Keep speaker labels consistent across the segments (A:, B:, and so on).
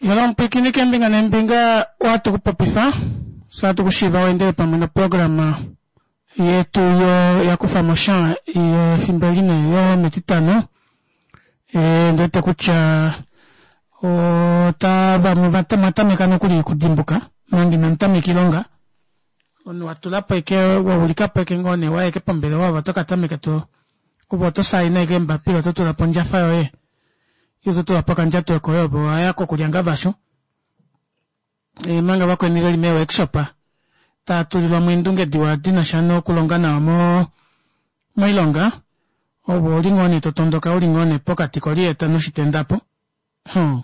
A: Yolo omupwiikini keembinga neembinga ohatu kupopifa fyee ohatu kushiiva weendele pamwe noprograma yetu yo yakufa mosha yefimbo eli nee yometitano ondiwete kutya ota vamwe mwatameka nokuli okudimbuka manga inamutameka oilonga omunhu watulapo ashike waulikapo ashike ngoo nee waya ashike pombelewa ove otokatameka to ove oto saina ashike eembapila oto tulapo ondjafa yoye ile ototulapo okandjato koye ove owaya kokulyangavashu omanga vakweni veli mee workshop tava tulilwamo eendunge diwa dinasha nokulonga nawa mo moilonga ove ouli ngoo nee totondoka uli ngoo nee pokati koliyeta noshitenda apo hum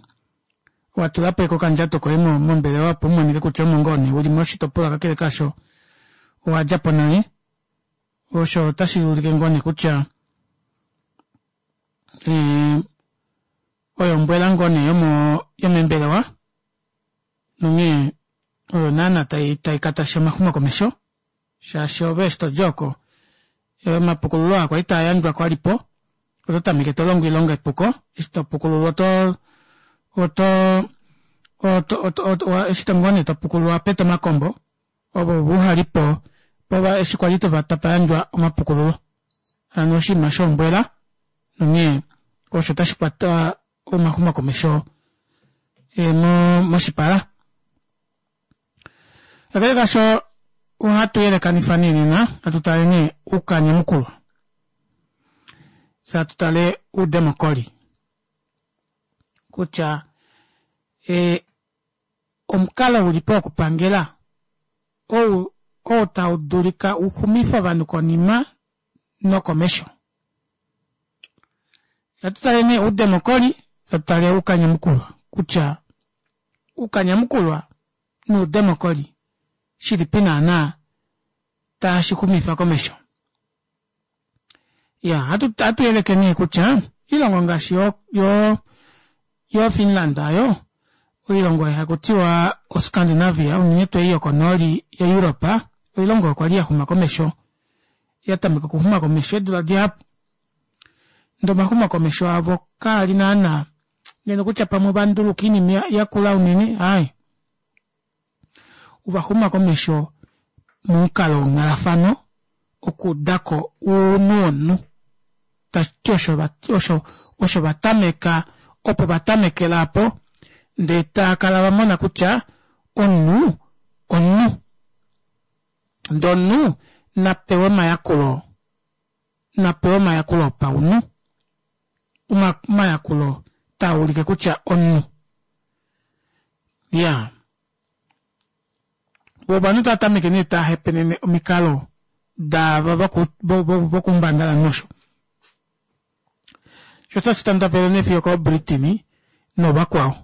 A: watulapo ashike okandjato koye mombelewa opo umonike kutya omo ngoo nee uli moshitopolwa kakele kaasho owadjapo nale osho otashi ulike ngoo nee kutya oyo ombwela ngoo nee yomeembelewa nonghee oyo naana tai katasha omaxumokomesho shaashi ove eshi todi oko omapukululo aa kwali taa yandjwa kwalipo oto tameke tolongo oilonga epuko eshi topukululwa oto oto oto eshi ngoo nee topukululwa owapeta omakombo ovo uhalipo eshi kwali tapa yandjwa omapukululo hano oshinima shombwela nonghee osho tashi kwata omaxumokomesho moshipala. Kakele kaasho ohatu yelekanifa nee nena hatu tale nee oukanyamukulwa fye hatu tale oudemokoli kutya omukalo ulipo wokupangela ou oo tau dulika uxumife ovanhu konima nokomesho. Hatu tale nee oudemokoli hatu tale oukanyamukulwa kutya oukanyamukulwa noudemokoli shilipi naana tashi xumifa komesho. Iyaa ohatu yeleke nee kutya oilongo ngaashi yo yo yo Finland oyo oilongo oyo hakutiwa o Scandinavia unene tuu ei yokonooli ya Europe oilongo oyo kwali yaxuma komesho yatameka okuxuma komesho eedula dihapu ndee omaxumokomesho avo kaali naana ngeno kutya pamwe ovanduluka oinima yakula unene aaye ovaxuma komesho momukalo wonghalafano okuudako ounhu womunhu tashiti osho osho osho vatameka opo vatamekela aapo ndee taakala vamona kutya omunhu omunhu ndee omunhu napewe omayakulo napewe omayakulo opaunhu omayakulo taa ulike kutya omunhu iyaa vo ovanhu tava tameke nee tava hepenene omikalo daava vokuumbangalanhu osho sho otashi tandavele nee fiyo okooBritini noovakwao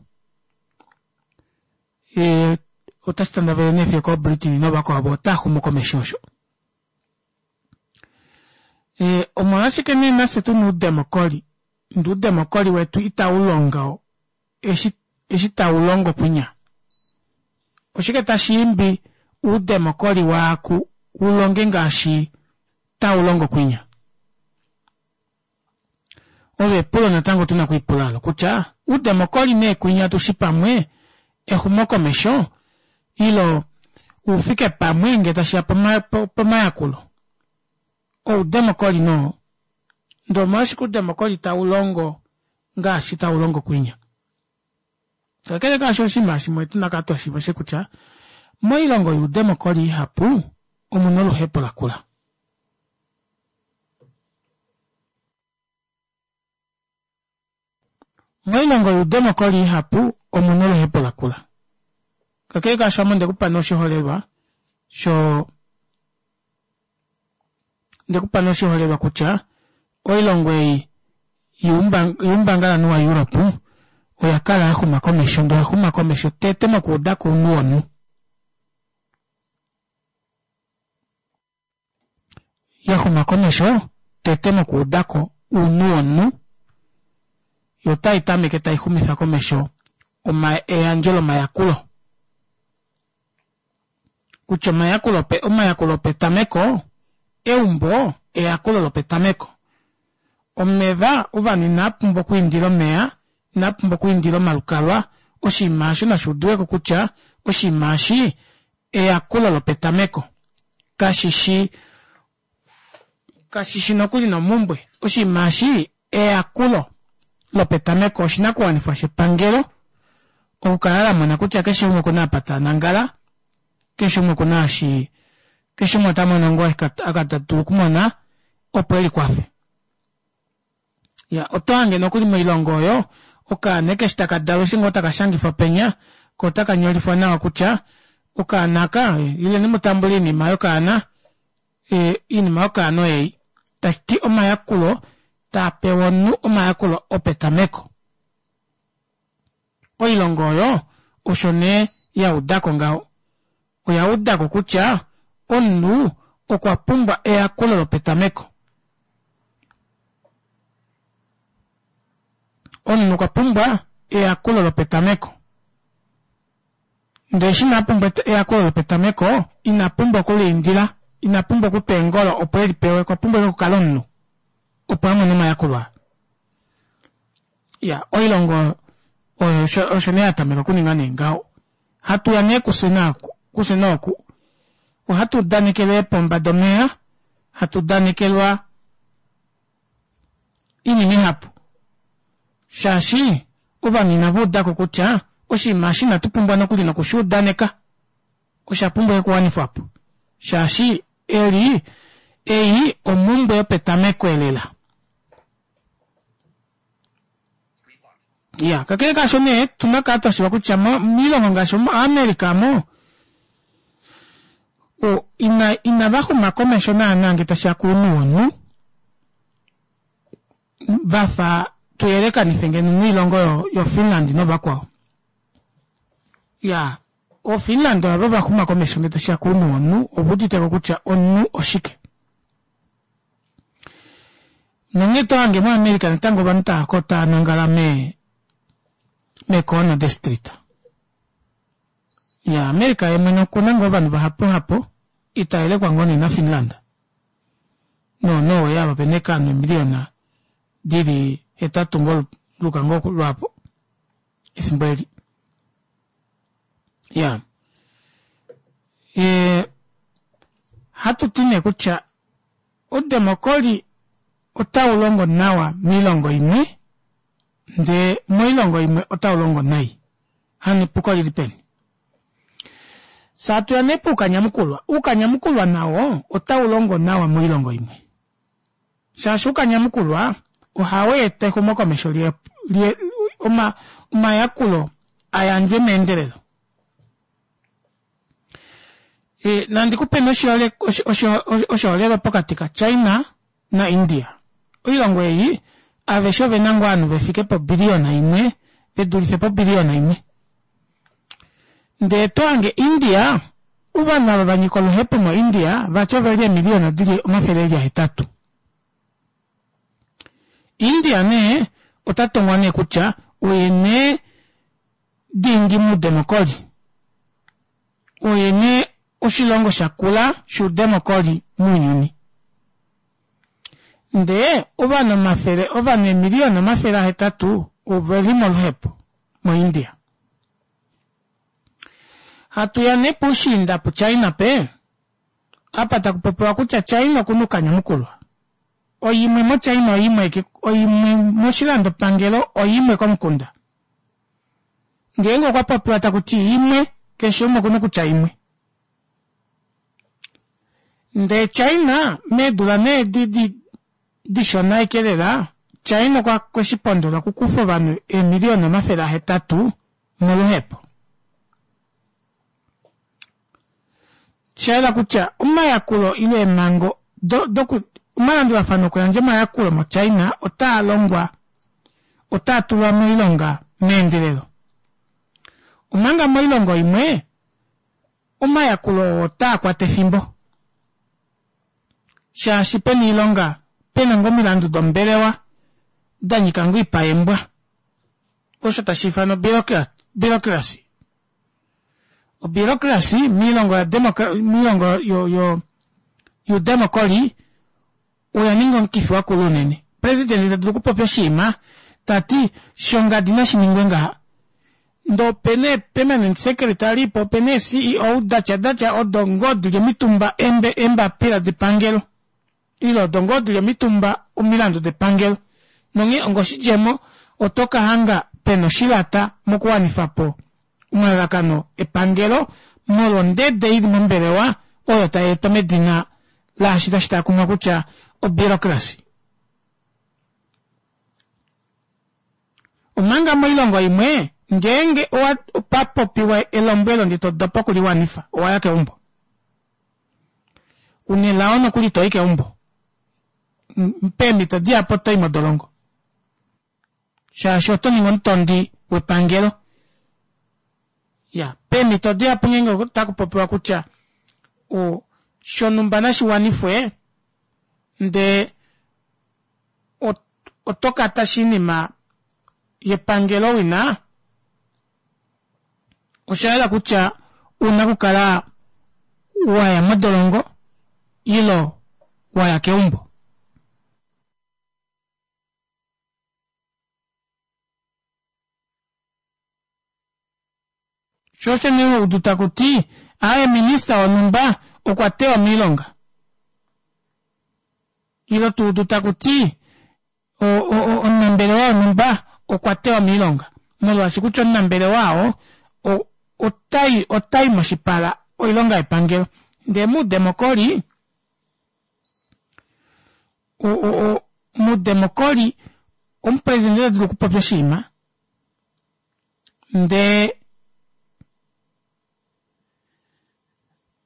A: otashi tandavele nee fiyo okooBritini noovakwao vo otaa xumu komesho osho. Omolwashike nee nafye tuna oudemokoli ndee oudemokoli wetu itau longo eshi eshi tau longo kwinya? Oshike tashi imbi oudemokoli waaku u longe ngaashi tau longo kwinya? Olo epulo natango tuna okwiipula olo kutya oudemokoli nee kwinya tushi pamwe exumokomesho ile oufike pamwe ngee tashiya pomayakulo oudemokoli noo ndee omolwashike oudemokoli tau longo ngaashi tau longo kwinya? Kakele kaasho oshinima shimwe tuna kala twashiiva oshe kutya moilongo youdemokoli ihapu omuna oluhepo lakula. Moilongo youdemokoli ihapu omuna oluhepo lakula. Kakele kaasho ame ondekupa nee oshiholelwa sho ndekupa nee oshiholelwa kutya oilongo ei youmbangalanhu waEurope oya kala yaxuma komesho ndee oyaxuma komesho tete mokuudako ounhu womunhu. Ya xuma komesho tete mokuudako ounhu womunhu yo otai tameke tai xumifa komesho eyandjo lomayakulo kutya omayakulo omayakulo opetameko eumbo eyakulo lopetameko omeva ovanhu inava pumbwa okwiindila omeya inava pumbwa okwiindila omalukalwa. Oshinima osho nashi udiweko kutya oshinima eshi eyakulo lopetameko. Kashi shi kashi shi nokuli nomumbwe. Oshinima eshi eyakulo lopetameko oshinakuwanifwa shepangelo okukala la mona kutya keshe umwe okuna apa ta nangala, keshe umwe okuna eshi keshe umwe ota mono ngoo aka ta dulu okumona opo elikwafe. Ya oto hange nokuli moilongo oyo okaana eshi taka dalwa eshi ngoo taka shangifwa penya ko otaka nyolifwa nawa kutya okaana aka ileni mu tambule oinima yokaana oinima yokaana oyei. Tashi ti omayakulo taa pewa omunhu omayakulo opetameko. Oilongo oyo osho nee ya udako ngaho. Oya udako kutya omunhu okwa pumbwa eyakulo lopetameko. Omunhu okwa pumbwa eyakulo lopetameko. Ndee eshi ina pumbwa eyakulo lopetameko, ina pumbwa okuliindila, ina pumbwa okutwa eengolo opo e li pewe, okwa pumbwa okukala omunhu opo a mone omayakulo aa. Ya, oilongo oyo osho nee ya tameka okuninga nee ngaho. Hatu ya nee kufye naaku, kufye nooku. Ohatu udanekelwa eepomba domeva, hatu udanekelwa oinima ihapu. Shaashi ovanhu inava udako kutya oshinima eshi inatu pumbwa nokuli nokushi udaneka. Osha pumbwa okuwanifwa po. Shaashi eli ei omumbwe yopetameko elela. Ya, kakele kaasho nee, tuna kala twa shiva kutya moilongo ngaashi moAmerica mo ina inava xuma komesho naana nge tashi ya kounhu womunhu va fa tuyelekanife ngeno noilongo yoFinland novakwao. Ya, oFinland ova va xuma komesho nge tashi ya kounhu womunhu, ova uditeko kutya omunhu oshike. Nonghee to hange moAmerica natango ovanhu tava ko tava nangala mee meekoona destrita. Ya, America ye mwene okuna ngoo ovanhu vahapuhapu ita yelekwa ngoo nee naFinland nooNorway ava pena ashike ovanhu eemiliyona dili hetatu ngoo luka ngoo lwaapo efimbo eli. Ya. E, hatu ti nee kutya Oudemokoli otau longo nawa moilongo imwe, ndee moilongo imwe otau longo nai. Hano epuko olili peni? Fye hatu ya nee poukanyamukulwa. Uukanyamukulwa nawo otau longo nawa moilongo imwe. Shaashi uukanyamukulwa ohau eta exumokomesho li, li, oma, omayakulo a yandjwe meendelelo. E, nandi ku peni oshiholelwa pokati kaChina naIndia. Oilongo ei aveshe ove na ngoo ovanhu ve fike pobiliyona imwe, ve dulife pobiliyona imwe. Ndee to hange India, ovanhu ava va nyika oluhepo moIndia vati ove li eemiliyona di li omafele e li ahetatu. India nee ota tongwa nee kutya oye nee dingi muudemokoli. Oye nee oshilongo sha kula shuudemokoli muunyuni. Ndee ovanhu omafele, ovanhu eemiliyona 800 ove li moluhepo moIndia. Hatu ya nee puushiinda puChina pe, apa taku popiwa kutya China oku na uukanyamukulwa. Oimwe moChina oimwe, oimwe moshilandopangelo oimwe komukunda. Ngeenge okwa popiwa taku ti imwe, keshe umwe okuna okutya imwe. Ndee China meedula nee edi di, dishona ashike lela, China okwa kwe shi pondola okukufa ovanhu eemiliyona 800 moluhepo. Osha yela kutya omayakulo ile eemhango do, doku, omalandulafano okuyandja omayakulo moChina otaa longwa otaa tulwa moilonga meendelelo. Omanga moilongo imwe, omayakulo oo otaa kwata efimbo shaashi pena oilonga pena ngoo omilandu dombelewa da nyika ngoo oipayembwa, osho tashi ifanwa obureaucracy. Obureaucracy miilongo ya miilongo yuudemokoli oya ninga omukifi wa kula unene. Presidente ta dulu okupopya oshinima ta ti shongadi nashi ningwe ngaha. Ndee opena ee-permanent secretary po opena ee-CEO datya datya odo ngoo dili omitumba eembapila depangelo ile odo ngoo dili omitumba omilandu depangelo. Nonghee onga oshidjemo oto ka hanga pena oshilata mokuwanifa po omalalakano epangelo molwa ondede ili mombelewa oyo tai etwa medina laashi tashi taakumwa kutya obureaucracy. Omanga moilongo imwe ngeenge owa opa popiwa elombwelo ndee to dopa okuliwanifa owa ya keumbo. Una elao nokuli itoyi keumbo. Peemhito dihapu otoyi modolongo shaashi oto ningi omutondi wepangelo. Ya peemhito dihapu ngeenge otaku popiwa kutya o shonumba nashi wanifwe ndee oto kata oshinima yepangelo wina, osha yela kutya una okukala waya modolongo ilo waya keumbo. Sho osho nee ho udu taku ti, aaye minista wonhumba okwa tewa moilonga. Ile to udu taku ti, omunambelewa wonhumba okwa tewa moilonga. Molwaashi kutya omunambelewa oo otai otai moshipala oilonga yepangelo. Ndee moudemokoli, moudemokoli omupresidente ota dulu okupopya oshinima ndee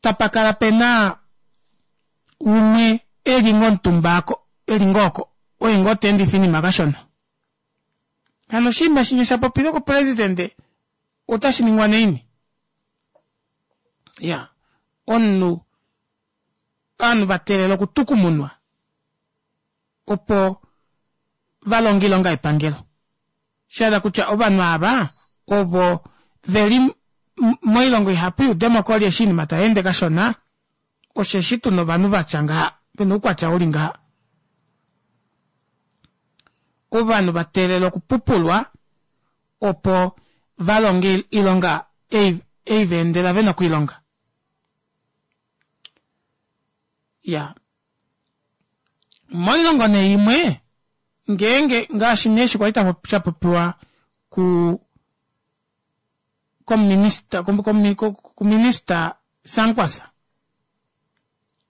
A: tapa kala pena umwe eli ngoo omutumba ako eli ngoo oko oye ngoo ta endifa oinima kashona. Hano oshinima shinya sha popilwe kupresidente otashi ningwa naini? Ya omunhu ovanhu va teelela okutukumunwa opo va longe oilonga yepangelo. Sha yela kutya ovanhu ava ovo ve li moilongo ihapu youdemokoli eshi oinima tai ende kashona, osheshi tu na ovanhu va tya ngaha, ve na oukwatya u li ngaha. Ovanhu va teelela okupupulwa opo va longe oilonga ei, ei va endela ve na okuilonga. Ya. Moilongo nee imwe ngeenge ngaashi nee eshi kwali sha popiwa ku komuminista kuminista Sankwasa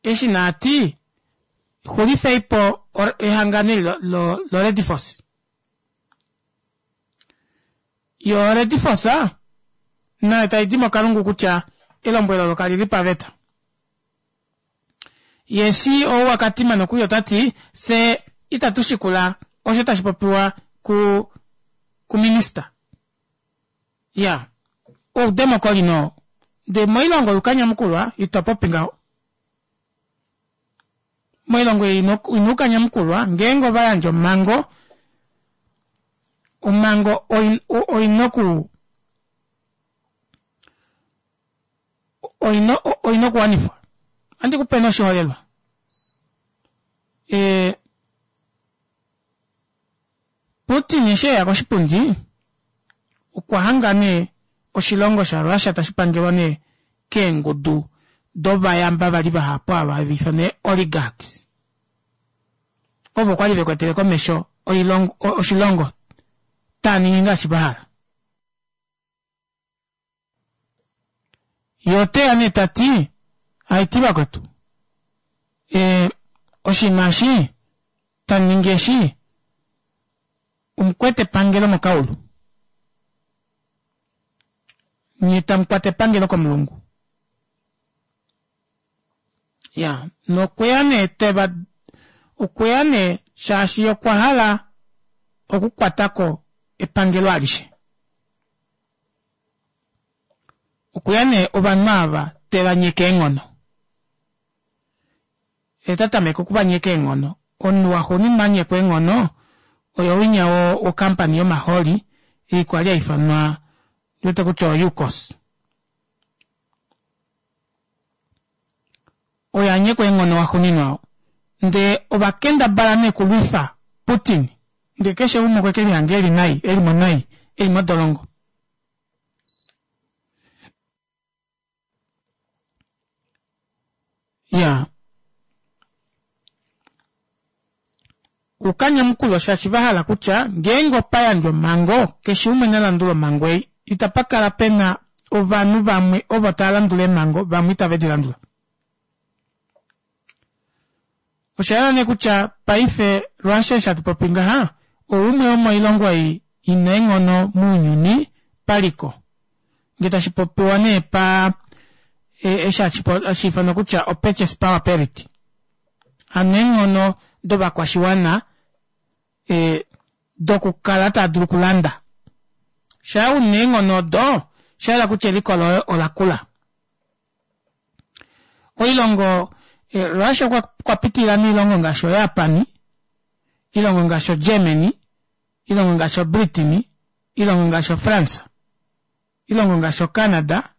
A: eshi naa ti xulifei po ehangano eli loRedforce. Yo Redforce nayo tai di mokalungu kutya elombwelo olo kali li paveta. Ye CEO waKatima nokuli ota ti, Fye itatu shikula osho tashi popiwa ku, kuminista. Ya, oudemokoli noo. Ndee moilongo yukanyamukulwa ito popi ngaho. Moilongo ei ina ukanyamukulwa ngeenge ova yandja omhango, omhango oina oku oina oina okuwanifwa. Ohandi ku pe nee oshiholelwa. E, Putin eshi eya koshipundi okwa hanga nee oshilongo shaRussia tashi pangelwa nee keengudu dovayamba vali vahapu ava hava ifanwa ee oligarchs ovo kwali vekwetele komesho oilongo oshilongo taa ningi ngaashi va hala. Ye ote ya nee ta ti, Haiti vakwetu, e, oshinima eshi tamu ningi eshi, omukwete epangelo mokaulu. Nye tamu kwata epangelo komulungu. Ya, nokweya nee teva, okweya nee shaashi okwa hala okukwata ko epangelo alishe. Okuya nee ovanhu ava te va nyeke eenghono. Ye ta tameke oku va nyeka eenghono. Omunhu waxuuninwa a nyekwa eenghono oyo winya wokampani yomahooli ei kwali ya ifanwa ndi wete kutya oYukos. Oyo a nyekwa eenghono waxuuninwa oo. Ndee ova kendabala nee okulwifa Putin ndee keshe umwe okwe ke lihanga eli nai, eli mo nai, eli modolongo. Ya. Oukanyamukulwa shaashi va hala kutya ngeenge opa yandjwa omhango, keshe umwe na landule omhango ei. Itapa kala pe na ovanhu vamwe ovo tava landula eemhango, vamwe itave di landula. Osha yela nee kutya paife Russia eshi hatu popi ngaha, oumwe womoilongo ei i na eenghono mounyuni paliko. Ngee tashi popiwa nee pa eshi hashi ifanwa kutya o-purchase power parity. Hano eenghono dovakwashiwana e, dokukala tava dulu okulanda. Shaa u na eenghono odo, osha yela kutya eliko loye ola kula. Oilongo eh, Russia okwa pitilila moilongo ngaashi oJapan, ilongo ngaashi oGermany, ilongo ngaashi oBritain, ilongo ngaashi oFrance, ilongo ngaashi oCanada,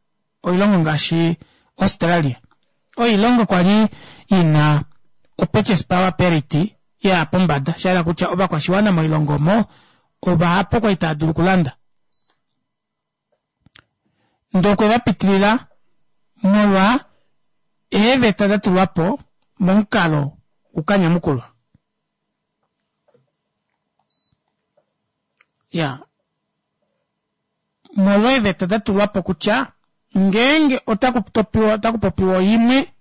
A: oilongo ngaashi Australia. Oilongo kwa li i na opurchase power parity ya ya pombada, sha hala kutya ovakwashiwana moilongo omo ovahapu kwa li tava dulu okulanda. Ndee okwe va pitilila molwa eeveta da tulwa po momukalo ukanyamukulwa. Ya, molwa eeveta da tulwa po kutya ngeenge otaku topiwa otaku popiwa oimwe,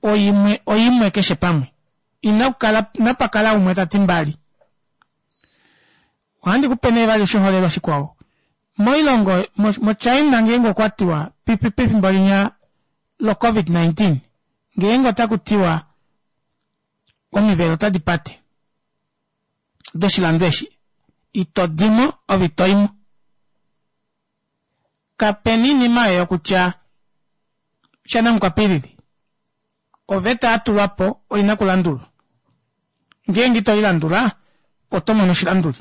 A: oimwe, oimwe keshe pamwe. Ina kala, inapa kala umwe ta ti mbali. Ohandi ku pe nee vali oshiholelwa shikwao. Moilongo, moChina ngeenge okwa tiwa pefimbo linya lo COVID-19, ngeenge otaku tiwa omivelo otadi pate doshilando eshi, ito dimo ove ito imo. Kapena iinima oyo yokutya shanamukwapilili. Oveta ya tulwa po oi na okulandulwa. Ngeenge ito i landula, oto mono oshilanduli.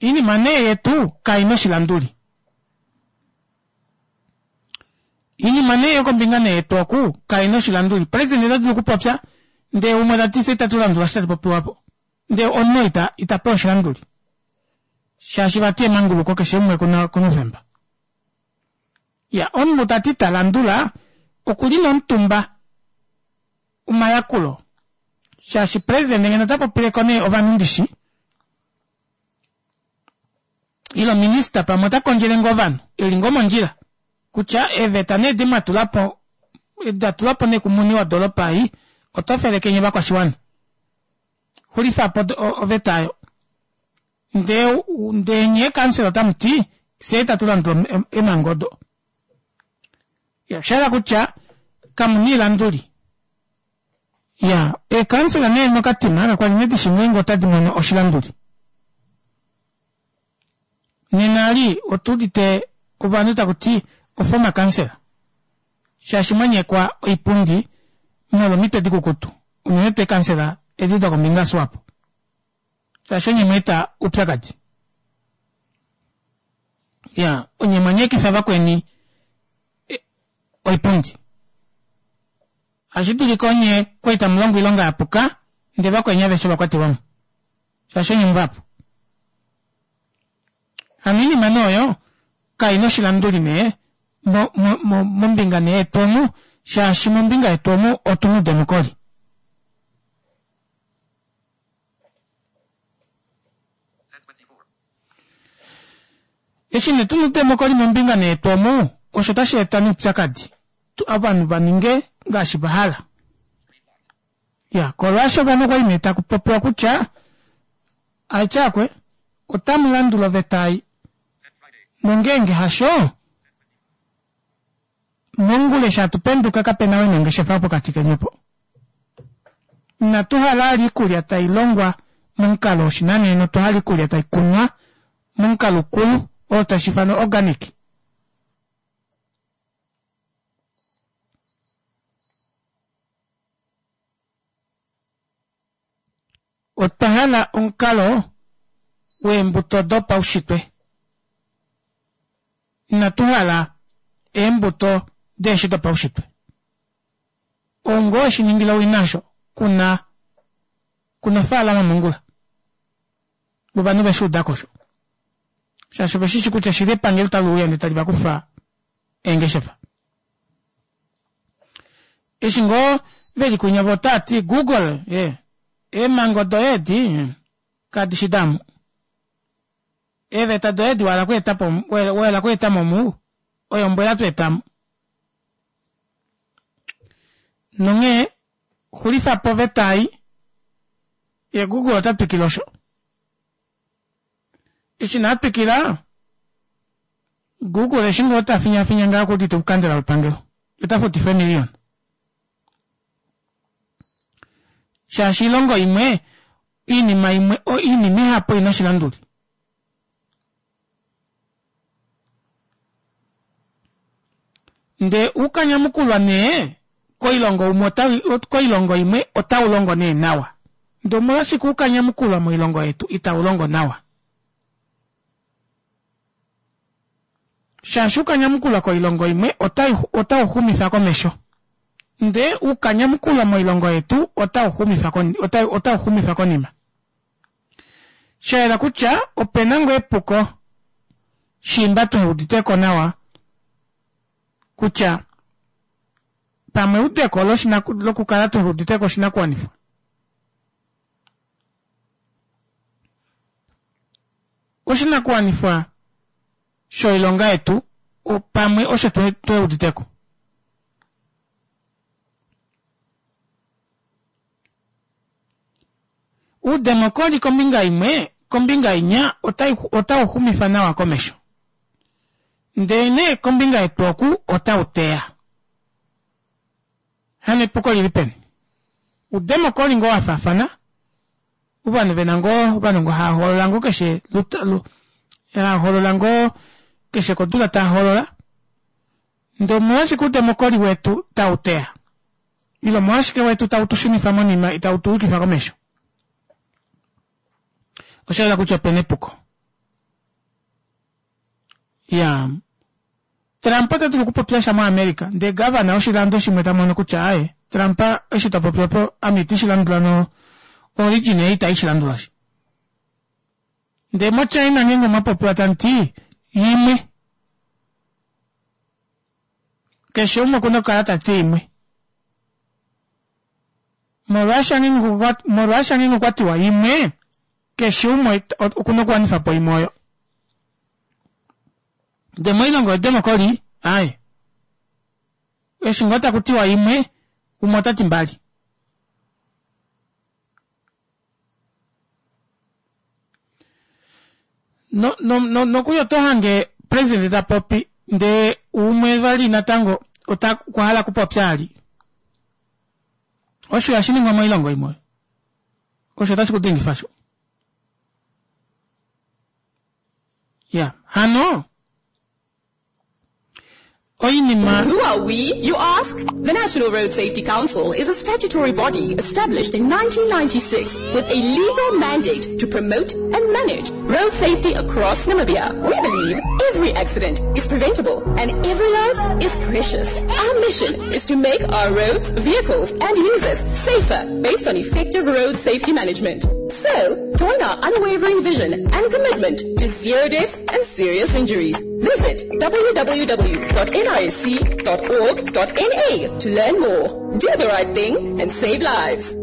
A: Oinima nee yetu kai na oshilanduli. Oinima nee yokombinga nee yetu oku kai na oshilanduli. President ota dulu okupopya ndee umwe ta ti fye itatu landula osho tashi popiwa po. Ndee omunhu ita ita pewa oshilanduli. Shaashi vati emanguluko keshe umwe okuna okuna oufemba. Ya, omunhu ta ti ta landula oku li nomutumba omayakulo shaashi president ngeno ota popileko nee ovanhu ndishi ile minista pamwe ota kondjele ngoo ovanhu eli ngoo mondjila kutya eeveta nee edi mwa tula po da tulwa po nee kumuni wodoolopa ei oto felekenye ovakwashiwana xulifa po oveta oyo ndee ndee nyee kansela otamu ti fye itatu landula eemhango odo Ya, osha yela kutya kamu na iilanduli. Ya, eekansela nee mokatima kakwa li nee di shi ngeenge otadi mono oshilanduli. Nena ali otu udite ovanhu taku ti oformer councillor shaashi mwa nyekwa oipundi molwomitwe dikukutu, unene tuu eekansela edi dokombinga yaSwapo. Shaashi onye mwa eta oupyakadi. Ya, onye mwa nyekifa vakweni oipundi. Ohashi dulika onye kwa li tamu longo oilonga ya puka, ndele vakweni aveshe ova kwatelwa mo. Shaashi onye muvahapu. Hano oinima nee oyo kai na oshilanduli nee mo, mo, mo, mombinga nee yetu omu, shaashi mombinga yetu omu otu na oudemokoli. Eshi nee tuna oudemokoli mombinga nee yetu omu, osho otashi eta nee oupyakadi, ovanhu va ninge ngaashi va hala. Ya, kolwaasho ovanhu okwali nee taku popiwa kutya, aityaakwe, otamu landula oveta ei, nongeenge hasho, Mongula eshi hatu penduka kape na we nongeshefa pokati keni opo. Inatu hala ali iikulya tayi longwa momukalo woshinanena otwa hala iikulya tayi kunwa momukalo ukulu oo tashi ifanwa organic. Otwa hala omukalo weembuto dopaushitwe. Inatu hala eembuto deeshi dopaushitwe. Ou ngoo weshi ningila owina osho, ku na, ku na ofaalama mongula. Ovanhu ve shi uda ko osho. Shaashi ove shi shi kutya shili epangelo tali uya ndele tali va kufa eengeshefa. Eshi ngoo ve li kwinya vo otaa ti Google, ye, eemhango doye edi kadi shi damu. Eeveta doye edi wa hala okweeta po, wa hala okweeta mo mu, oyo mbwela twa eta mo. Nonghee xulifa po oveta ei, ye Google ota twikile osho. Eshi na twikila, Google eshi ngoo ta finyafinya ngaa okuudite okukandela wepangelo, ota futifa eemiliyona. Shaashi oilongo imwe, oinima imwe, oinima ihapu oi na oshilanduli. Ndee uukanyamukulwa nee koilongo umwe ota, koilongo imwe otau longo nee nawa. Ndee omolwashike uukanyamukulwa moilongo yetu itau longo nawa? Shaashi uukanyamukulwa koilongo imwe otau xumifa komesho. Ndee uukanyamukulwa moilongo yetu otau xumifa, otau xumifa konima. Sha yela kutya ope na ngoo epuko shiimba tuhe udite ko nawa kutya pamwe eudeko lokukala tuhe udite ko oshinakuwanifwa. Oshinakuwanifwa shoilonga yetu pamwe osho tuhe udite ko. Uudemokoli kombinga imwe, kombinga inya otau xumifa nawa komesho. Ndele nee kombinga yetu oku otau teya. Hano epuko lili peni? Uudemokoli ngoo wa faafana, ovanhu ve na ngoo, ovanhu ngoo hava hoolola ngoo keshe, hava hoolola ngoo keshe kodula tava hoolola. Ndele omolwashike uudemokoli wetu tau teya? Ile omolwashike wetu tau tu shunifa monima itau tu yukifa komesho? Osha yela kutya ope na epuko. Ya, Trump ota dulu okupopya sha moAmerica, ndee gavana woshilando shimwe ta mono kutya aaye, Trump eshi ta popi opo ame iti shi landula no origin ei itai shi landula shi. Ndee moChina ngeenge omwa popiwa tamu ti yimwe, Keshe umwe oku na okukala ta ti imwe. Molwaashi ngeenge okwa tiwa imwe, keshe umwe oku na okuwanifa po imwe oyo. Ndele moilongo yodemokoli, aaye. Eshi ngoo taku tiwa imwe, umwe ota ti mbali. No, no, no, nokuli oto hange president ta popi ndee umwe vali natango ota okwa hala okupopya ali. Osho ihashi ningwa moilongo imwe. Osho otashi ku dengifa sho. Ya, hano oinima
B: Who are we, you ask? The National Road Safety Council is a statutory body established in 1996 with a legal mandate to promote and manage road safety across Namibia. We believe every accident is preventable and every life is precious. Our mission is to make our roads, vehicles and users safer based on effective road safety management. So, join our unwavering vision and commitment to zero deaths and serious injuries. Visit www.nrsc.org.na to learn more. Do the right thing and save lives.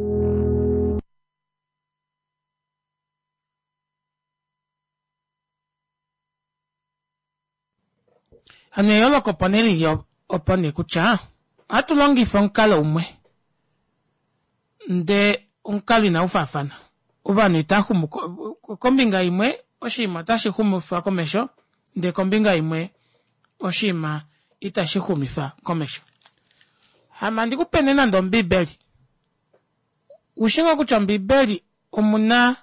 A: Hano eyooloko opo nee lili opo nee kutya ohatu longifa omukalo umwe ndee omukalo inau faafana. Ovanhu itava xumu kombinga imwe oshinima otashi xumifa komesho ndee kombinga imwe oshinima itashi xumifa komesho. Hama ndi ku pe nee nande Ombiibeli. Ushi ngoo kutya Ombiibeli omu na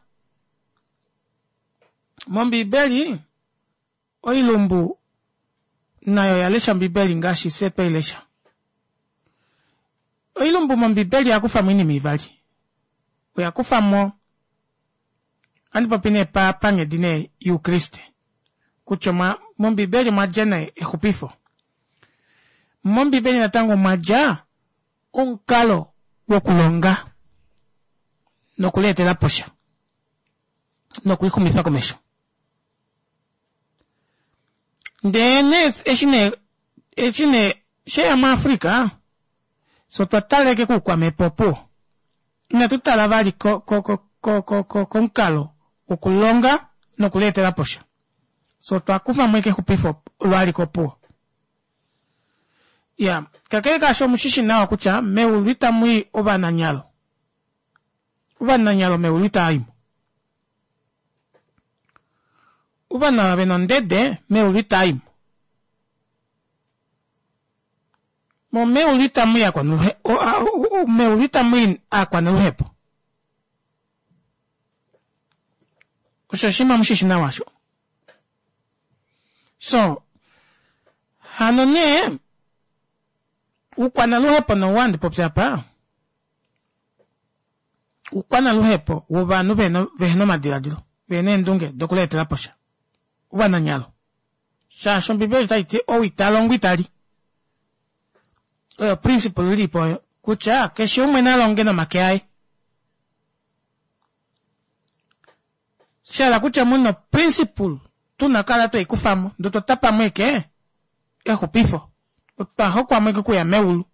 A: mOmbiibeli Oilumbu nayo oya lesha Ombibeli ngaashi fye twei lesha. Oilumbu mOmbibeli oya kufa mo oinima ivali. Oya kufa mo, ohandi popi nee pa, panghedi nee yOukriste, kutya omwa, mOmbibeli omwa dja nee exupifo. MOmbibeli natango omwa dja omukalo wokulonga nokulietela po sha nokulixumifa komesho. Ndele nee eshi nee eshi nee sheya muAfrica, Fye otwa taleke koukwamhepo opuwo. Inatu tala vali ko, ko, ko, ko, ko, ko, komukalo wokulonga nokuleetela po sha. Fye otwa kufa mo exupifo olo alike opuwo. Ya, kakele kaasho omu shi shi nawa kutya meulu itamu i ovananyalo. Ovananyalo meulu itava i mo. Ovanhu ava ve na ondede meulu itava i mo. Mo meulu itamu i meulu itamu i aakwanaluhepo. Osho oshinima mu shi shi nawa sho. So, hano nee, uukwanaluhepo nowu handi popi apa, uukwanaluhepo wovanhu vehena omadiladilo, vehena eendunge dokuleetela po sha. Ovananyalo. Shaashi Ombibeli otai ti, ou ita longo ita li. Oyo principle ilipo oyo, kutya keshe umwe na longe nomake aye. Sha hala kutya mu na principle tu na kala twei kufa mo, ndee otwa tapa mo eke exupifo. Otwa hokwa mo eke okuya meulu.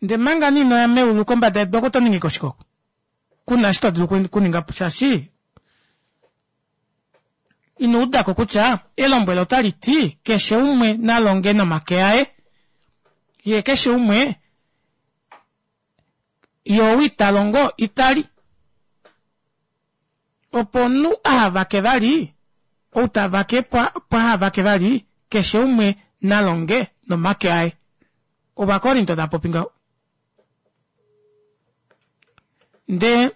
A: Ndee manga nee ino ya meulu kombada yedu oko to ningi ko shike oko? Ku na eshi to dulu okuninga po shaashi ino uda ko kutya elombwelo otali ti keshe umwe na longe nomake aye, ye keshe umwe Ye ou ita longo ita li. Opo omunhu aha vake vali, ou ta vake paha vake vali, keshe umwe na longe nomake aye. Ovakorinto tava popi ngaho. Nde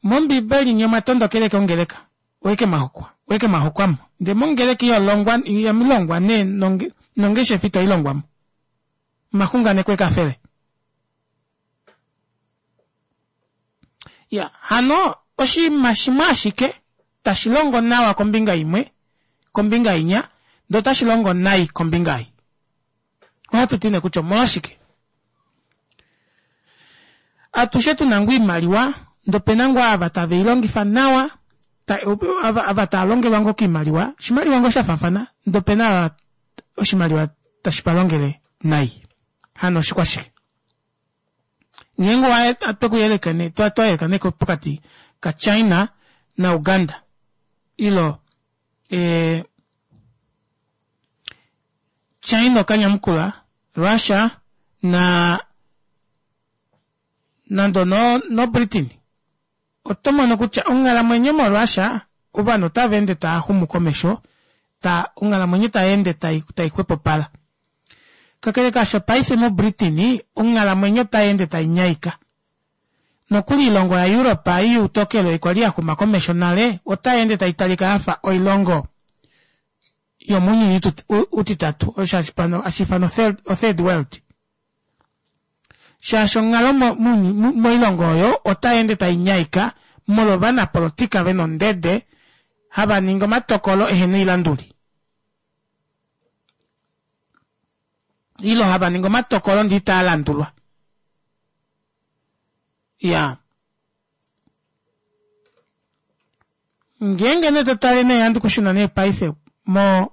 A: mOmbibeli nye omwa tondokele kongeleka, oike mwa hokwa, oike mwa hokwa mo. Nde mongeleka iho longwa, ihamu longwa nee nongeshefa ito i longwa mo. Omaxunganeko ekafele. Ya, hano oshinima shimwe ashike tashi longo nawa kombinga imwe, kombinga inya, ndee otashi longo nai kombinga ei. Ohatu ti nee kutya omolwashike? Atushe tu na ngoo oimaliwa, ndee ope na ngoo ava tave i longifa nawa, ta, ava, ava tava longelwa ngoo koimaliwa, oshimaliwa ngoo sha faafana, ndee ope na ava oshimaliwa tashi va longele nai. Hano oshikwashike? Ngeenge owa twe ku yeleka ne, twa twa yeleka ne pokati ka China na Uganda ilo e, China okanyamukula Russia na nando no, no Britain Oto mono kutya onghalamwenyo moRussia ovanhu otava ende tava xumu komesho, ta, onghalamwenyo tai ende tai, tai xwepopala. Kakele kaasho paife moBritain onghalamwenyo otai ende tai nyaika. Nokuli oilongo yaEurope ei youtokelo ei kwali ya xuma komesho nale otai ende tai talika ya fa oilongo yomounyuni utitatu, osho hashi ifanwa othird world. Shaashi onghalo moilongo oyo otai ende tai nyaika molwa ovanapolotika ve na ondede hava ningi omatokolo ehe na oilanduli ilo hava ningi omatokolo ndee itaa landulwa. Ya. Ngeenge nee to tale nee handi kushuna nee paife mo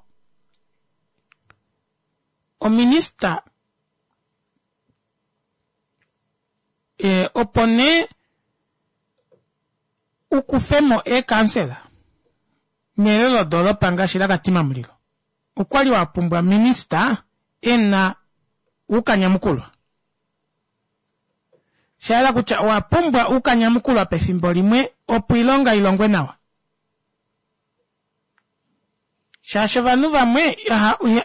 A: Ominista opo nee u kufe mo eekansela melelodoolopa ngaashi laKatima Mulilo, okwa li wa pumbwa minista e na uukanyamukulwa. Sha yela kutya owa pumbwa uukanyamukulwa pefimbo limwe opo oilonga i longwe nawa. Shaashi ovanhu vamwe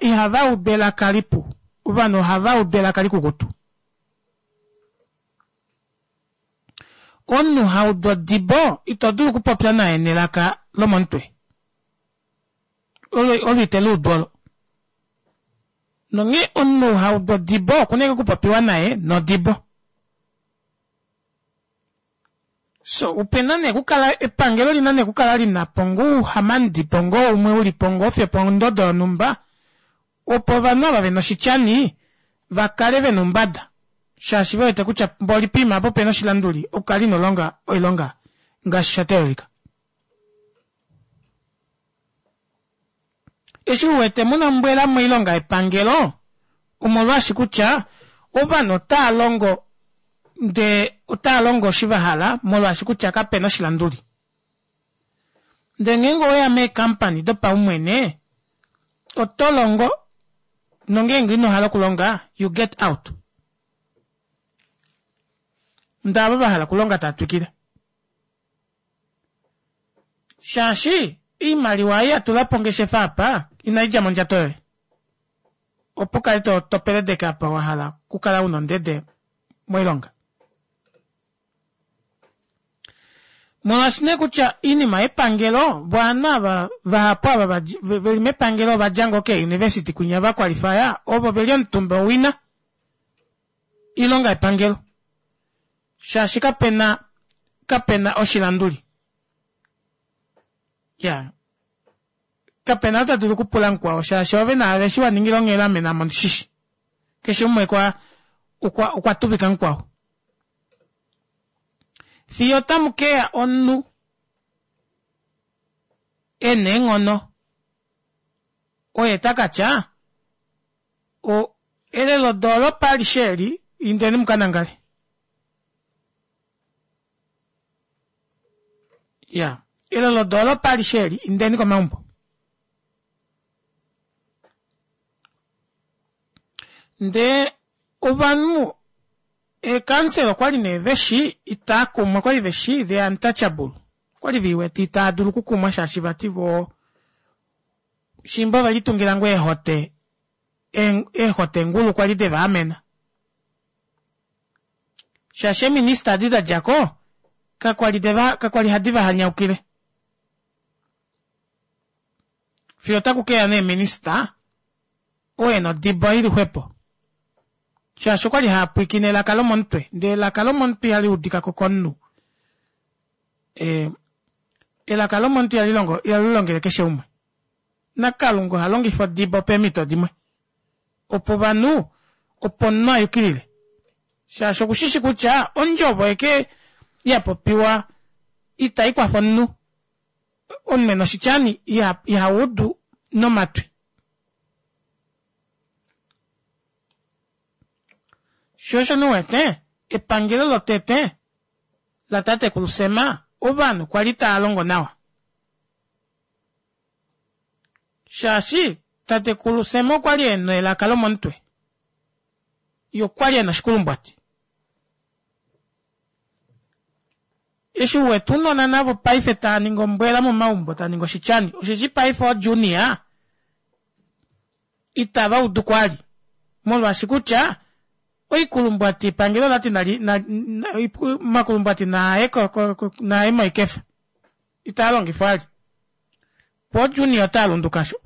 A: ihava udu elaka lipu, ovanhu ohava udu elaka likukutu. Omunhu ha udu odibo ito dulu okupopya naye nelaka lomomutwe. Olo ite li udu olo. Nonghee omunhu ha udu odibo oku na okupopiwa naye nodibo. So upena nee kukala epangelo lina nee kukala lina po ngoo uuhamandipo ngoo umwe uli po ngoo fiyo pondodo yonhumba opo ovanhu ava vena oshityani va kale vena oumbada shaashi ve wete kutya mboli poima apa opena oshilanduli okukala ino longa oilonga ngaashi sha teelelika. Eshi u wete muna ombwela moilonga yepangelo omolwaashi kutya. Ovanhu otaa longo ndee otaa longo eshi va hala molwaashi kutya kapena oshilanduli. Ndee ngeenge oweya meekampani dopaumwene oto longo nongeenge ino hala okulonga you get out. Ndee ava vahala okulonga tava twikile. Shaashi oimaliwa ei yatula pongeshefa apa inaidja mondjato yoye. Opo ukale to topeledeke apa wahala okukala una ondede moilonga. Molwaashi nee kutya oinima yepangelo vo ovanhu ava vahapu ava veli mepangelo ova dja ngoo keeuniversity kwinya va kwalifaya ovo veli omutumba owina oilonga yepangelo shaashi kapena kapena oshilanduli ya kapena ou ta dulu okupula mukwao shaashi ove naave eshi wa ningila onghela ame naame ondishishi keshe umwe kwa okwa okwa tuvika mukwao fiyo otamu keya omunhu e na eenghono oye ta ka tya o elelodoolopa alishe eli indeni mu ka nangale ya elelodoolopa alishe eli indeni komaumbo ndee ovanhu eekansela okwali nee veshi itaa kumwa okwali veshi the untouchable okwali veiwete itaa dulu okukumwa shaashi vati voo shimba ove litungila ngoo eehote eehotengulu kwali deva amena shaashi eeminista adi da dja ko kakwali deva kakwali hadi va hanyaukile fiyo otaku keya nee minista oo e na odibo ili xwepo shaashi okwali haa pwiikine elaka lomomutwe ndee elaka lomomutwe ihali udika ko komunhu e, elaka lomomutwe ihali longo ihali longele keshe umwe naKalunga oha longifa odibo peemhito dimwe opo ovanhu opo omunhu a yukilile shaashi okushishi kutya ondjovo eke ya popiwa itai kwafa omunhu omunhu e na oshityani iha udu nomatwi. Sho osho nee u wete epangelo lotete latatekulu Sem ovanhu kwali tava longo nawa. Shaashi tatekulu Sem okwa li e na elaka lomomutwe, ye okwa li e na oshikulumbwati. Eshi u wete ounona navo paife tava ningi ombwela momaumbo tava ningi oshityani, osheshi paife oojunior itava udu kwali molwaashi kutya oikulumbwati epangelo olati nali omakulumbwati naaye naaye moikefa itaa longifwa vali po junior otaa lunduka sho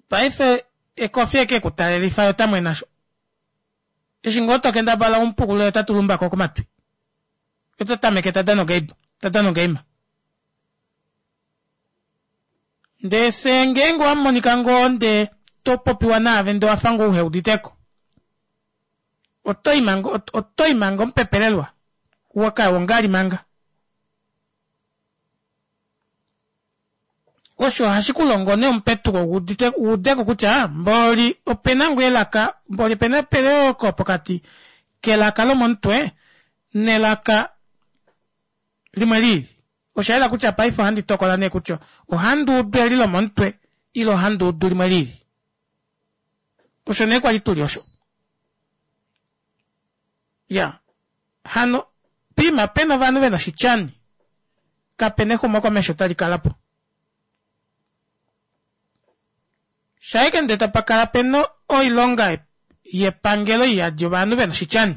A: paife ekofi eke ku talelifa yo tamwena sho eshi ngoo to kendabala umupukulule ota tulumbako komatwi ota tameke ta dana ogame ta dana ogeima ndee fye ngeenge owa monika ngoo ndee to popiwa naave ndee owafa ngoo uhe uditeko oto i manga oto i manga omupepelelwa waka wongali manga osho ohashi ku longo nee omupetuko wu udeko kutya mboli opena ngoo elaka mboli opena eyooloko pokati kelaka lomomutwe nelaka limwe liili Osha yela kutya paife ohandi tokola nee kutya ohandi udu eli lomomutwe ile ohandi udu limwe lili. Osho nee kwali tuli osho. Ya. Hano, piima pena ovanhu vena oshityani, kapena exumokomesho tali kala po. Shaike ndee tapa kala pena oilonga yepangelo iyadi ovanhu vena oshityani,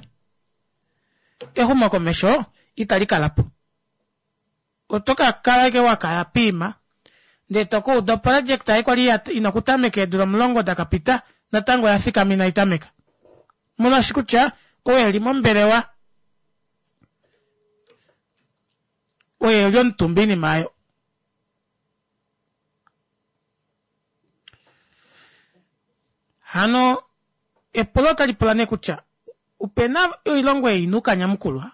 A: exumokomesho itali kala po. Oto ka kala ashike wa kaya piima ndee to ka uda oproject ei kwali ina okutameka eedula omulongo da ka pita natango oya fikama inai tameka. Molwaashi kutya ou e li mombelewa oye e li omutumba oinima aayo. Hano epulo otali pula nee kutya opena oilongo ei ina okanyamukulwa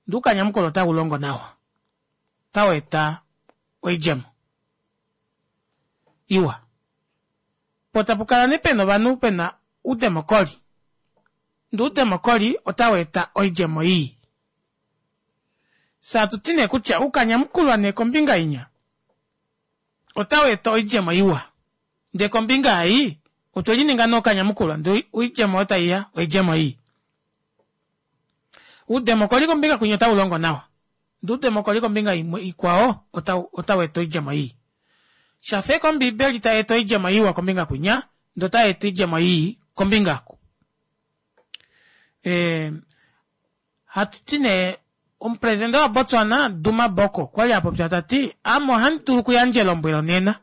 A: Ndee oukanyamukulwa otau longo nawa, otau eta oidjemo iwa. Po tapu kala nee pena ovanhu pena. Oudemokoli. Ndee oudemokoli otau eta oidjemo ii. Fye hatu ti nee kutya oukanyamukulwa nee kombinga inya otau eta oidjemo iwa. Ndee kombinga ei otwe lininga nee okanyamukulwa ndee oidjemo oyo taiya oidjemo ii. Oudemokoli kombinga kwinya otau longo nawa ndee oudemokoli kombinga imwe ikwao otau otau eta oidjemo ii. Shafa ashike Ombiibeli tai eta oidjemo iwa kombinga kwinya ndee otai eta oidjemo ii kombinga oku. E, hatu ti nee omupresidente waBotswana Duma Boko okwa li a popya ta ti ame ohandi dulu okuyandja elombwelo nena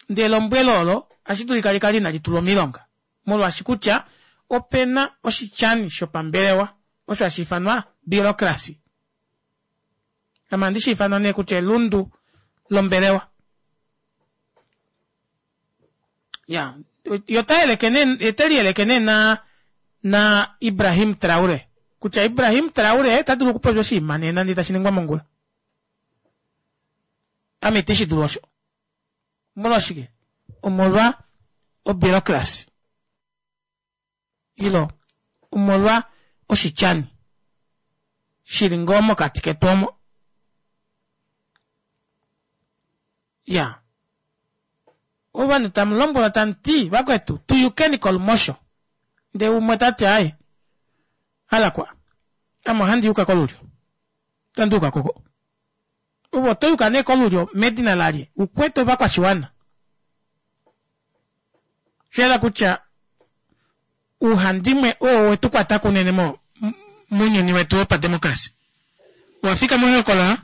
A: ndee elombwelo olo ohashi dulika li kale inali tulwa moilonga molwaashi kutya ope na oshityani shopambelewa osho hashi ifanwa bureaucracy. Ame ohandi shi ifana nee kutya elundu lombelewa. Ya, yo ota yeleke nee, ote liyeleke nee na na Ibrahim Traore kutya Ibrahim Traore ota dulu okupopya oshinima nena ndee tashi ningwa mongula. Ame ite shi dulu osho. Omolwashike? Omolwa obureaucracy. Ilo omolwa oshityani shi li ngoo mokati ketu omo. Ya. Ovanhu tamu lombwelwa tamu ti, Vakwetu, tu yukeni kolumosho. Ndee umwe ta ti, Aaye, alakwa, ame ohandi yuka kolulyo. Otandi yuka koko. Ove oto yuka nee kolulyo medina lalye? U kwete ovakwashiwana. Osha yela kutya ouhandimwe oo we tu kwata kunene mo, mounyuni wetu wopademokrasi. Owa fika mohokola?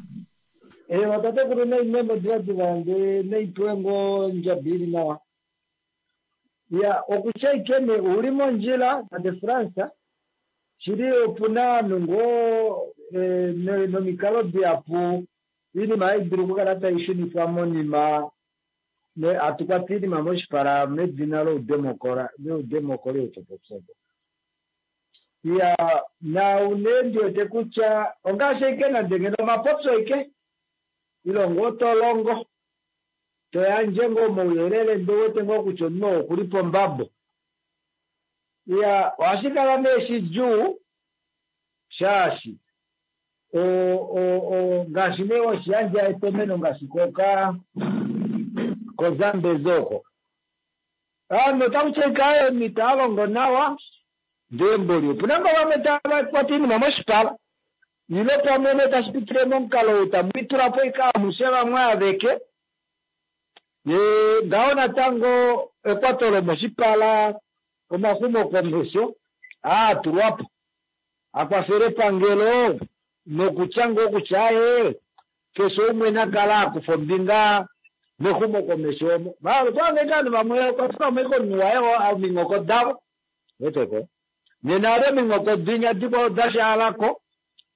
C: Eewa tatekulu naimemo divadiva nde naipewe ngoo ondjabi ili nawa. Ya okutya ike nee ouli mondjila tate Frans, shili opuna ovanhu ngoo nomikalo dihapu oinima hai dulu okukala tai shunifwa monima hatu kwata oinima moshipala medina loudemokoli ou to popi opo. Iya, naau nee ndi wete kutya ongaashi ashike nande ngeno omapopyo ashike, ile ngoo to longo, to yandje ngoo omauyelele ndee ou wete ngoo kutya omunhu oo okuli pombabo. Iya, ohashi kala nee shidjuu shaashi ngaashi nee weshi yandja etomeno ngaashi koka koZambezi oko. Ovanhu otaku ti ashike aaye omunhu ita longo nawa ndee mboli opu na ngoo vamwe tava kwata oinima moshipala ile pamwe nee tashi pitile momukalo ou tamu litula po ashike amushe vamwe aveke ye ngaho natango ekwato lomoshipala omaxumokomesho aa tulwa po a kwafele epangelo nokutya ngoo kutya aaye keshe umwe na kale a kufa ombinga mexumokomesho omo. Maala otwa hanga ashike ovanhu vamwe okwa tulwa mo ashike omunhu waye ominghoko davo. Weteko? Nena ali ominghoko dinya dikwao da shaala ko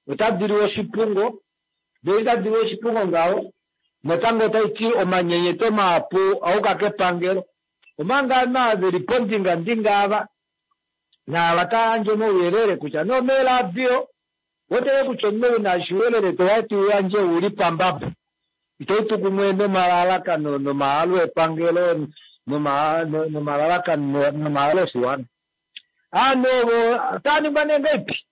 C: otadi liwa oshipungo, ndele itadi liwa oshipungo ngaho natango otai ti omanyenyeto mahapu a yuka kepangelo. Omanga ovanhu ava ve li pondingandinga ava naava tava yandje omauyelele kutya nee omeeradio, weteke kutya omunhu ou na oshiuyelele to wati u yandje u li pambabo. Itai tu kumwe nomalalakano nomahalo epangelo nomalalakano nomahalo oshiwana. Ovanhu ovo otava ningwa nee ngahelipi?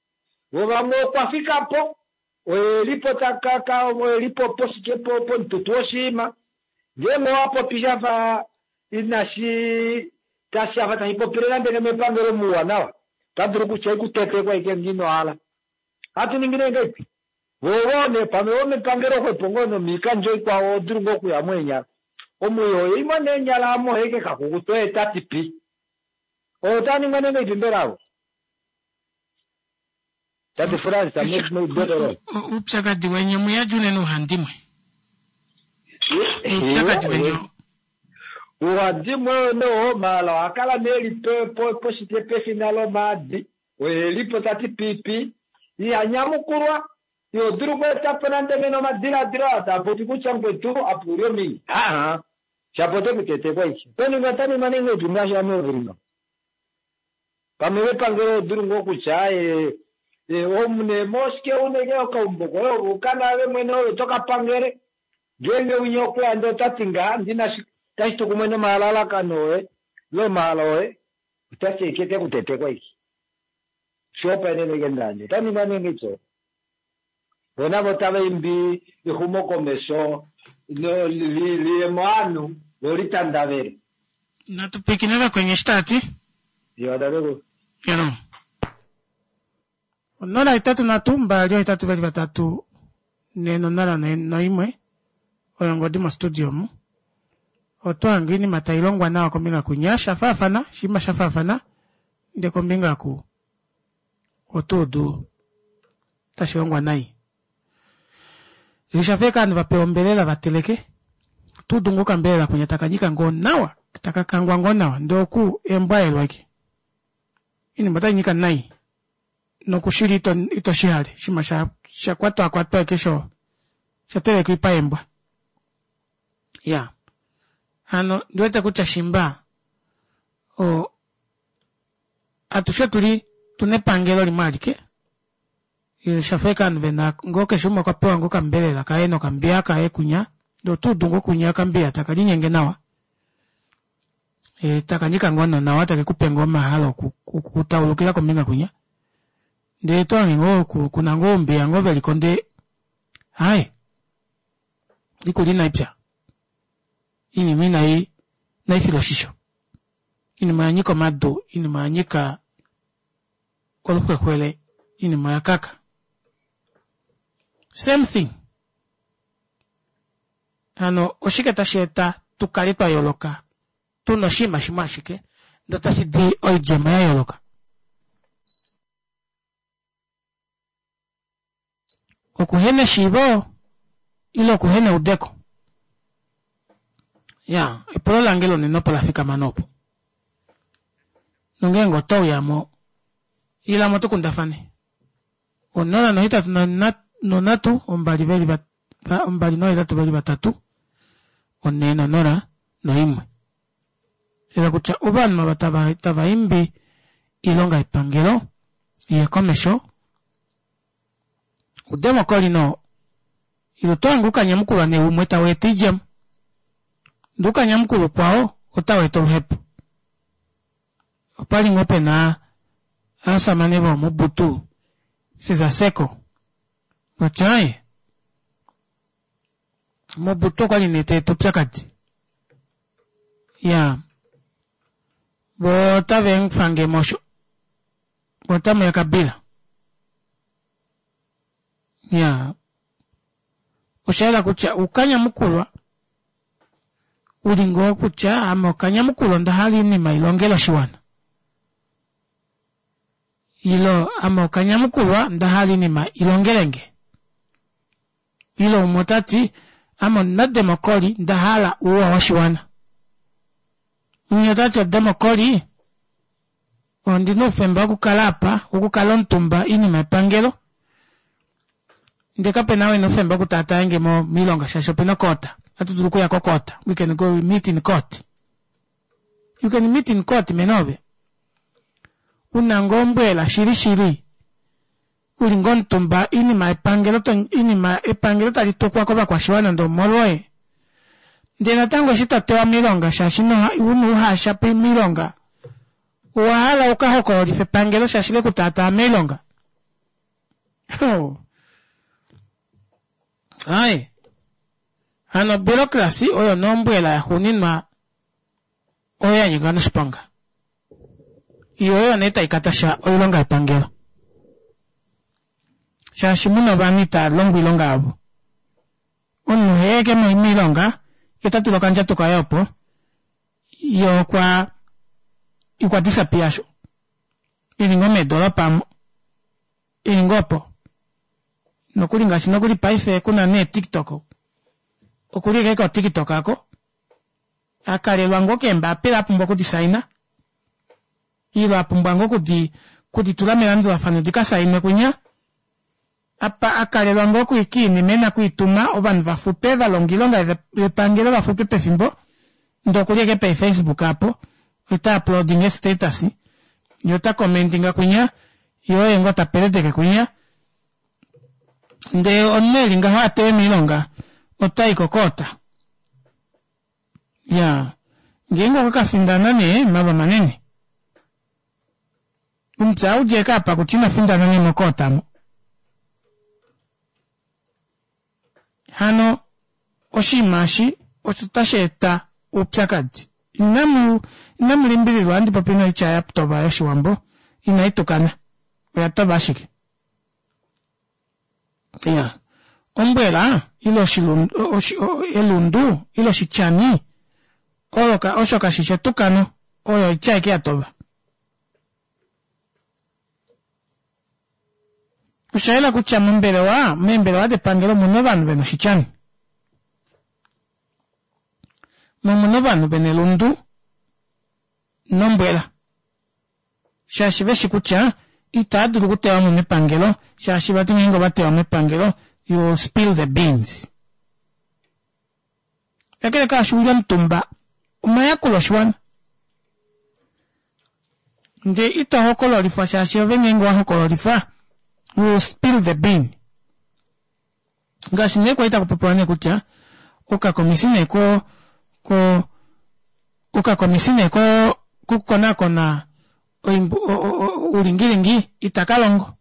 C: Vo vamwe okwa fika po, oye li po ta ka ka oye li po poshike po pomututu woshiima. Ngeenge owa popi sha fa inashi tashi afa tashi popile nande ngeno epangelo mouwanawa, ota dulu kutya ikutetekwa ashike ngee ino hala. Ohatu ningi nee ngahelipi? Vo ovo nee pamwe vomepangelo xwepo ngoo nomiikandjo ikwao oho dulu ngoo okuya mo eenyala. Omwiyo oye imwe nee eenyala amo ohe ke kakukuta oye ta ti pi. Oyo otaa ningwa nee ngahelipi mbela avo? Tate Frans, meudeko loye.
A: Oupyakadi weni omuyadi unene uhandimwe. Oupyakadi weni oo.
C: Uhandimwe oo nee oo maala oha kala nee eli poshike pefina lomaadi. Oye e li po ta ti piipi. Iha nyamukulwa. Iho dulu okweeta po nande ngeno omadiladilo aa taa popi kutya mukwetu apa u li ominye. Aa, shapo ote ku tetekwa aishe. Oto ningwa ota ningwa nee ngahelipi ngaashi ame ove li ngaho? Pamwe mepangelo oho dulu ngoo kutya aaye omu nee moshike u na ashike okaumbo koye ove u ka naave mwene ove to ka pangele. Ngeenge winya okwe ya ndee ota ti ngaha ndi na shi tashi tu kumwe nomalalakano oye ile omahalo oye. Otashi eke kutetekwa iki. Shihopaenene ike ndandja. Ota ningwa nee ngityo. Vo navo otava imbi exumokomesho li ye movanhu, lo li tandavele.
A: Natu pwilikine vakweni eshi tava ti.
C: Iwa tatekulu.
A: Hello. 083 2 8 3 4 0 noimwe oyo ongodi mostudio omu. Oto hange oinima tai longwa nawa kombinga kunya sha faafana, oshinima sha faafana, ndele kombinga ku oto udu tashi longwa nai. Osha fa ovanhu va pewa ombelela va teleke, oto udu ngoo okambelela kwinya taka nyika ngoo nawa, taka kangwa ngoo nawa, ndee oku embwaelwa ashike. Oinima otai nyika nai nokushili ito, ito shi hale, oshinima sha, sha kwatwakwatwa ashike sho sha telekwa paembwa. Ya. Hano ndi wete kutya shimba o, atushe otu li tu na epangelo limwe alike sha fa eke ovanhu ve na ngoo keshe umwe okwa pewa ngoo okambelela kaye nokambiya kaye kunya ndee oto udu ngoo kunya okambiya taka linyenge nawa e, taka nyika ngoo nonawa take kupe ngoo omahalo okutaulukila kombinga kunya ndee to hange ngoo kuna ngoo oumbiya ngoo veliko ndee hai ikulya inai pya iinima inai inai filwa oshisho Iinima oya nyika omadu, iinima oya nyika oluxwexwele, iinima oya kaka. Same thing. Hano oshike tashi eta tu kale twa yooloka tu na oshinima shimwe ashike ndele otashi di oidjemo ya yooloka? Okuhena eshiivo ile okuhena eudeko? Ya, epulo lange lonena opo la fikama noopo. Nongeenge oto uya mo, ila mo tu kundafane. Onola nohetatu nonhatu ombali ve li ombali nohetatu ve li vatatu onhee nonola noimwe. Lela kutya ovanhu ava tava tava imbi iilonga yepangelo iye komesho udemokoli no ile oto hange ukanyamukulwa nee umwe tau eta oidjemo ndee ukanyamukulwa ukwao otau eta oluhepo. Opali ngoo pena aasamane vooMobutu Sese Seko kutya aye Mobutu okwali nee ta eta oupyakadi. Ya vo otave mufange mosho vo otamuya Kabila. Ya osha yela kutya uukanyamukulwa u li ngoo kutya ame okanyamukulwa onda hala oinima i longele oshiwana ilo ame okanyamukulwa onda hala oinima i longele nge. Ile umwe ota ti, Ame omunademokoli, nda hala ouwa woshiwana. Umwe ota ti, Odemokoli, ondi na oufemba wokukala apa, wokukala omutumba oinima yepangelo, ndee kape na ou e na oufemba wokutaataye nge mo moilonga shaashi ope na okoota. Ohatu dulu okuya kokoota. We can go meet in court. You can meet in court, mene ove. U na ngoo ombwela shili shili. U li ngoo omutumba oinima yepangelo to, oinima epangelo tali tukwa kovakwashiwana ndee omolwoye. Ndee natango eshi to tewa moilonga shaashi ino una uhasha moilonga, owa hala u ka hokololife epangelo shaashi le ku taataa moilonga. Oh. Ai. Hano obureaucracy oyo nombwela yaxuuninwa oyo ya nyika noshiponga. Yo oyo nee tai katasha oilonga yepangelo. Shaashi muna ovanhu itaa longo oilonga yavo. Omunhu heeke moilonga, ye ta tula okandjato kaye opo, ye okwa okwa disappear sho. Eli ngoo meedolopa omo. Eli ngoo opo. Nokuli ngaashi nokuli paife kuna nee TikTok. Okuli ashike koTikTok ako. A kalelwa ngoo keembapila a pumbwa okudi saina ile a pumbwa ngoo okudi kudi tula melandulafano di ka sainwe kwinya. Apa a kalelwa ngoo kiinima e na okwiituma ovanhu va futwe va longa oilonga yepangelo va futwe pefimbo ndee okuli ashike peefacebook apo ota uploadinga eestatus ye ota commentinga kwinya ye oye ngoo ta peleteke kwinya ndee omunhu eli ngaho a tewe moilonga ota i kokoota. Ya, ngeenge okwa ka findana nee, malwa manene. Omupya ou dje apa kutya ina findana nee mokoota mo. Hano oshinima eshi osho tashi eta oupyakadi. Inamu inamu limbililwa ohandi popi noitya ya tova yOshiwambo, inai tukana, oya tova ashike. Iya, ombwela ile oshilundu, oshi, elundu ile oshityani oyo ka, osho kashi shi etukano, oyo oitya aike ya tova. Osha yela kutya mombelewa, meembelewa depangelo omuna ovanhu vena oshityani. Mo omuna ovanhu vena elundu nombwela. Shaashi veshi kutya itava dulu okutewa mo mepangelo shaashi vati ngeenge ova tewa mepangelo you will spill the beans. Kakele kaasho uli omutumba omayakulo oshiwana ndee ito hokololifwa shaashi ove ngeenge owa hokololifwa you will spill the bean. Ngaashi nee kwali taku popiwa nee kutya okakomisi nee ko ko okakomisi nee ko kokukonakona oulingilingi itaka longo.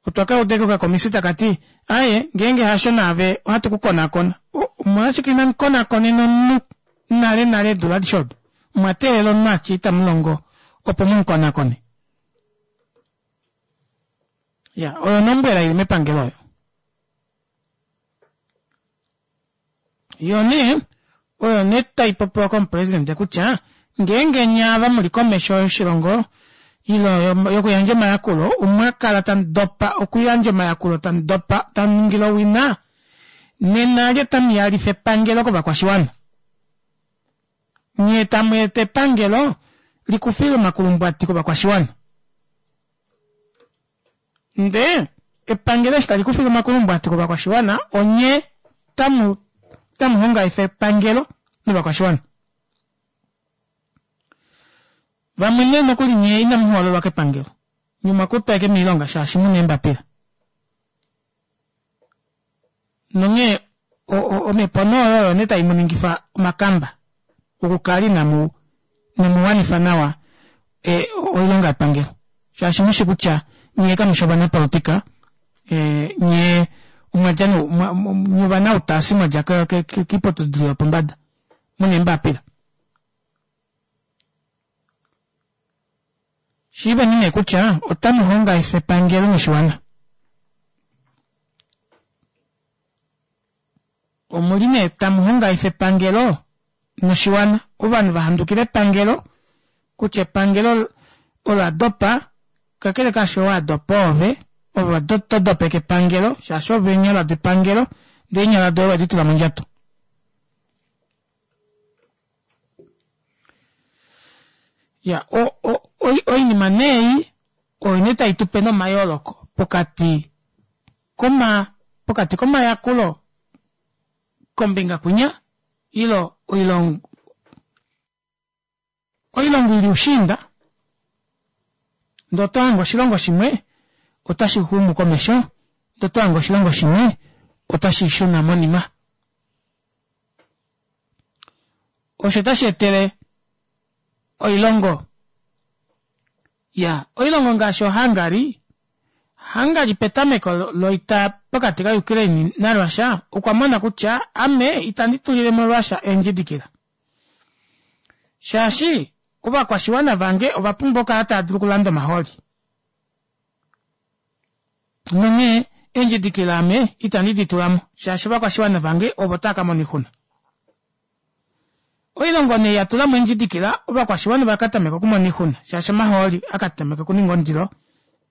A: Otwa ka uda okakomisi taka ti, Aye, ngeenge hasho naave ohatu ku konakona. Omolwashike inamu konakonena omunhu nale nale eedula adishe odo? Omwa teelela omunhu a tye itamu longo opo mu mu konakone? Ya, oyo onombwela i li mepangelo oyo. Yo nee oyo nee tai popiwa komupresidente kutya ngeenge nye ava mu li komesho yoshilongo ile yokuyandja omayakulo omwa kala tamu dopa okuyandja omayakulo tamu dopa tamu ningile owina nena lye tamu yalifa epangelo kovakwashiwana nyee tamu eta epangelo likufile omakulumbwati kovakwashiwana. Ndee epangelo eshi tali kufile omakulumbwati kovakwashiwana onye tamu tamu hongaifa epangelo novakwashiwana. Vamwe nee nokuli nyee inamu hoololwa kepangelo, nye omwa kutwa ashike moilonga shaashi muna eembapila. Nonghee omhepo nee oyo oyo nee tai mu ningifa omakamba okukala inamu inamu wanifa nawa e, oilonga yepangelo shaashi mushi kutya nyee kamu shi ovanapolotika e, nyee omwa dja nye ovanautaasi mwa dja kiiputudilo yopombada muna eembapila. Shiiveni nee kutya otamu hongaifa epangelo noshiwana. Omu li nee tamu hongaifa epangelo noshiwana. Ovanhu va handukila epangelo kutya epangelo ola dopa, kakele kaasho wa dopa oove, ove to dopeke epangelo shaashi ove eenyala depangelo ndee eenyala doye owedi tula mondjato. Ya, o, o, oinima nee ei oyo nee tai tu pe nomayooloko pokati koma, pokati komayakulo kombinga kwinya ilo oilongo, oilongo ili ushiinda ndee oto hange oshilongo shimwe otashi xumu komesho ndee oto hange oshilongo shimwe otashi shuna monima. Osho otashi etele oilongo ya oilongo ngaashi oHungary, Hungary petameko loita pokati kaUkraine naRussia okwa mona kutya ame itandi tulile mo Russia eendjidikila shaashi ovakwashiwana vange ova pumbwa okukala tava dulu okulanda omahooli. Nonghee eendjidikila ame itandi di tula mo shaashi ovakwashiwana vange ovo tava ka mona oixuna. Oilongo nee ya tula mo eendjidikila, ovakwashiwana ova ka tameka okumona oixuna shaashi omahooli a ka tameka okuninga ondilo,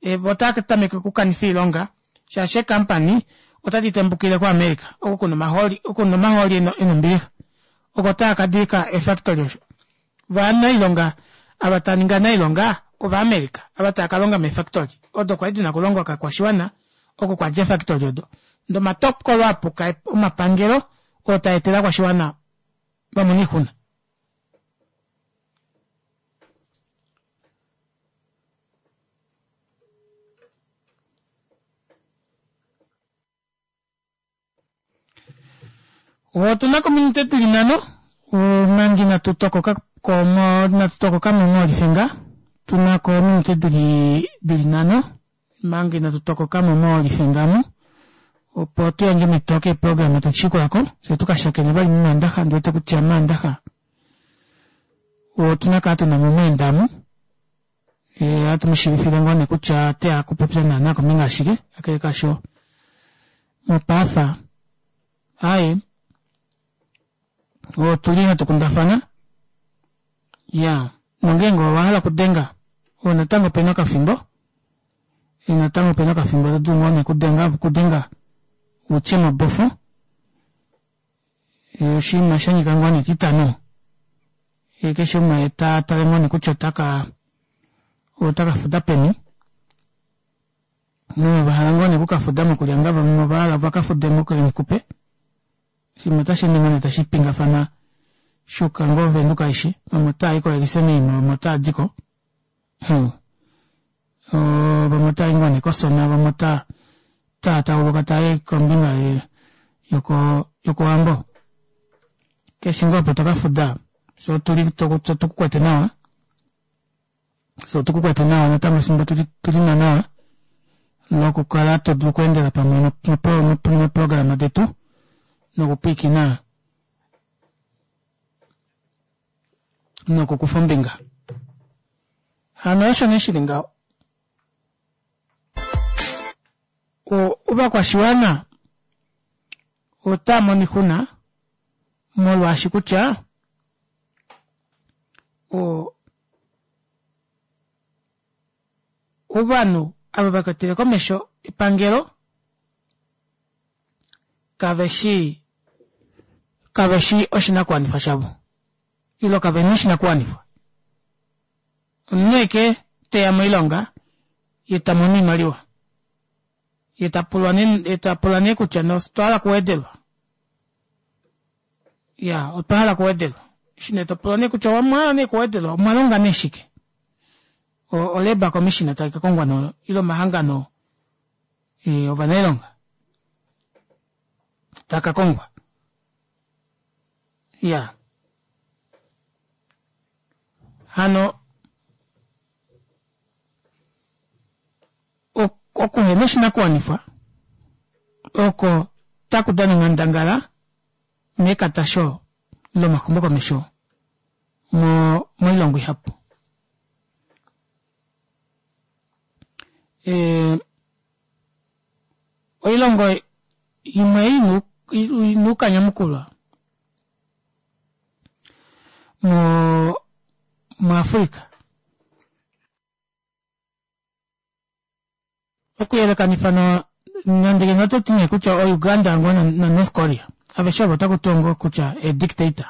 A: vo otava tameke okukanifa oilonga shaashi eekampani otadi tembukile koAmerica oko kuna omahooli oko kuna omahooli e na ombilixa oko tava ka dika eefactory osho. Ovanailonga ava tava ningi anailonga Ovaamerica ava tava ka longa meefactory odo kwali dina okulongwa kakwashiwana oko kwa dja eefactory odo. Ndee omatokolo apuka omapangelo oo taa etele ovakwashiwana va mone oixuna. Otu na kominute di li nhano omanga inatu tokoka ko inatu tokoka mo molifinga. Tuna ko ominute dili nhano manga inatu tokokamo molifenga amu opo tuyandje omito keeprograma tadishikulako fyee tukashakene vali momandaxa ondiwete kutya mandaxa otuna kala tunamo omweenda omu ohatu mushiivifile ngoo nee kutya oteya okupopya naana kombinga yashike kakele kaasho mopaafa aaye otuli hatu kundafana ya nongeenge owahala okudenga oo natango opena okafimbo natango opena okafimbo to dulu ngoo nee okudenga utye mobofo oshinima shanyika ngoo nee etitano keshe umwe ta tale ngoo nee kutya otaka otaka fuda peni vahala ngoo nee okukafuda mokulyanga vamwe ovahala vakafude mokulenkupe shimwe otashi ningi nee tashi pingafana shuka ngoo Venduka aishe vamwe otaayi koElisenheim vamwe otaadiko vamwe otaayi ngoo nee kOsona vamwe otaa tauluka taayi kombinga yokOwambo keshe ngoo opo tokafuda fyee otuli otukukwete nawa fyee otukukwete nawa natango efimbo tulina nawa lokukala todulu okweendela pamwe neeprograma detu nokupwiikina nokukufa ombinga hano osho nee shili ngaho ovakwashiwana otamono oixuna molwaashi kutya ovanhu ava vakwatele komesho epangelo kaveshi kaveshi oshinakuwanifwa shavo ile kavena oshinakuwanifwa omunhu eke teya moilonga ye tamono oimaliwa ye tapulwa tapula nee kutya otwa hala okuwedelwa ya otwa hala okuwedelwa eshi nee topulwa nee kutya omwa nee kuwedelwa omwa longa nee shike o labour commissioner tai ka kongwa no ile omahangano ovanailonga taka kongwa ya hano okuhena oshinakuwanifwa oko taku dana onghandangala mekatasho lomaxumokomesho moilongo ihapu. Oilongo imwe ina oukanyamukulwa muAfrica. Okuyelekanifa nande ngeno oto ti nee kutya o Uganda ngoo na North Korea aveshe ovo otaku tiwa ngoo kutya ee dictator.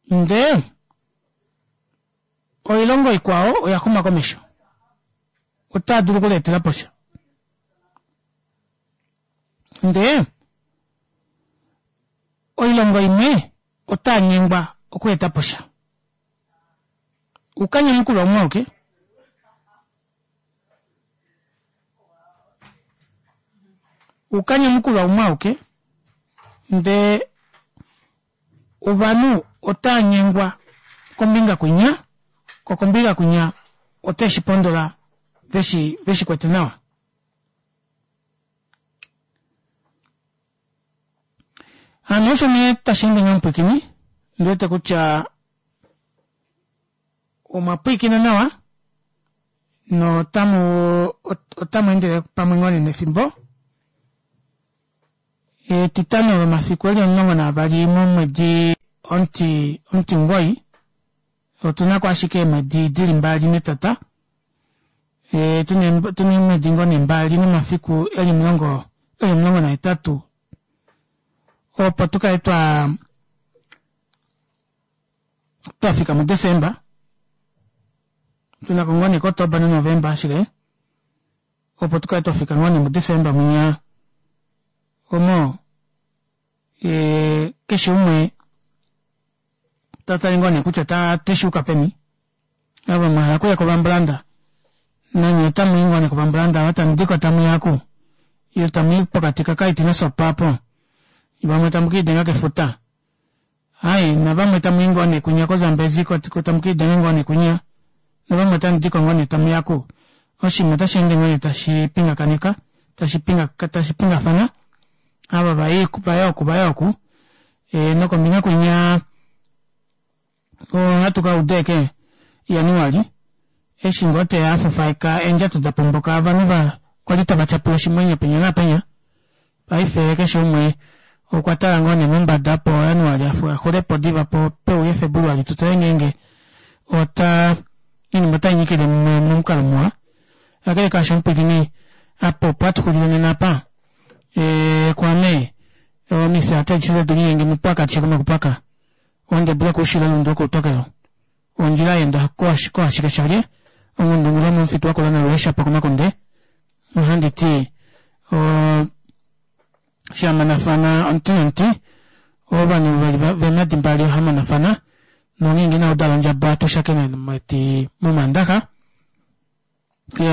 A: Ndee oilongo ikwao oya xuma komesho otaa dulu okuleetela po sha. Ndee oilongo imwe otaa nyengwa okweeta po sha. Oukanyamukulwa umwe auke. Oukanyamukulwa umwe auke ndee ovanhu otaa nyengwa kombinga kwinya ko kombinga kwinya ote shi pondola veshi veshi kwete nawa. Hano osho nee tashi ende ngaho mupwiikini, ondi wete kutya omwa pwiikina nawa notamu otamu endele pamwe ngoo nee nefimbo. Etitano lomafiku eli 12 momwedi omuti omutimugoi otuna ko ashike eemwedi dili mbali netata tuna eemwedi ngoo nee mbali nomafiku eli omulongo eli 18 opo tukale twa twafika muDesemba tunako ngoo nee koOktoba naNovemba ashike opo tukale twafika ngoo nee muDesemba mwinya omo keshe umwe tatale ngoo nee kutya oteshuuka peni ava mwahala okuya kovambulanda nanye otamuyi ngoo nee kovambulanda ava tamudiko tamuya oku ile tamuyi pokati kakaiti nasopa apo vamwe tamu kiidenga kefuta. Hai navamwe tamu i ngoo nee kwinya koZambezi tamu kiidenga ngoo nee kwinya navamwe otamu diko ngoo nee tamu ya ku. Oshinima otashi ende ngoo nee tashi pingakaneka tashi pinga tashi pingafana ava vai vaya oku vaya oku ee nokombinga kwinya ohatu kauda ashike Januali eshi ngoo teya afufaeka eendjato dapomboka ovanhu kwali tava tyapula oshimwenyo penya naapenya paife keshe umwe okwa tala ngoo nee mombada opo Januali axulepo diva po peuye Febuluali tutale ngeenge ota oinima otainyikile mumwe momukalo muwa kakele kaasho omupwilikini apa opo hatuxulile nena apa ee kwaame omifya adishe dedu mupaka mokupaka ondebule koushilo lundu okoutokelo ondjila yaenda koashike shalye ongundungula momufitu wakula nalweeshapo komakunde nohandi ti shamanafana omuti nomuti ovanhu vemadi mbali ohamonafana nongeenge inaudala ondjaba ohatu shakene momandaxa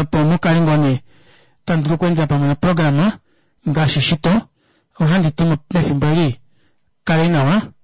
A: opo mukale ngoo nee tamu dulu okweendela pamwe noprograma ngaashi shito ohandi ti mefimbo eli kaleni nawa.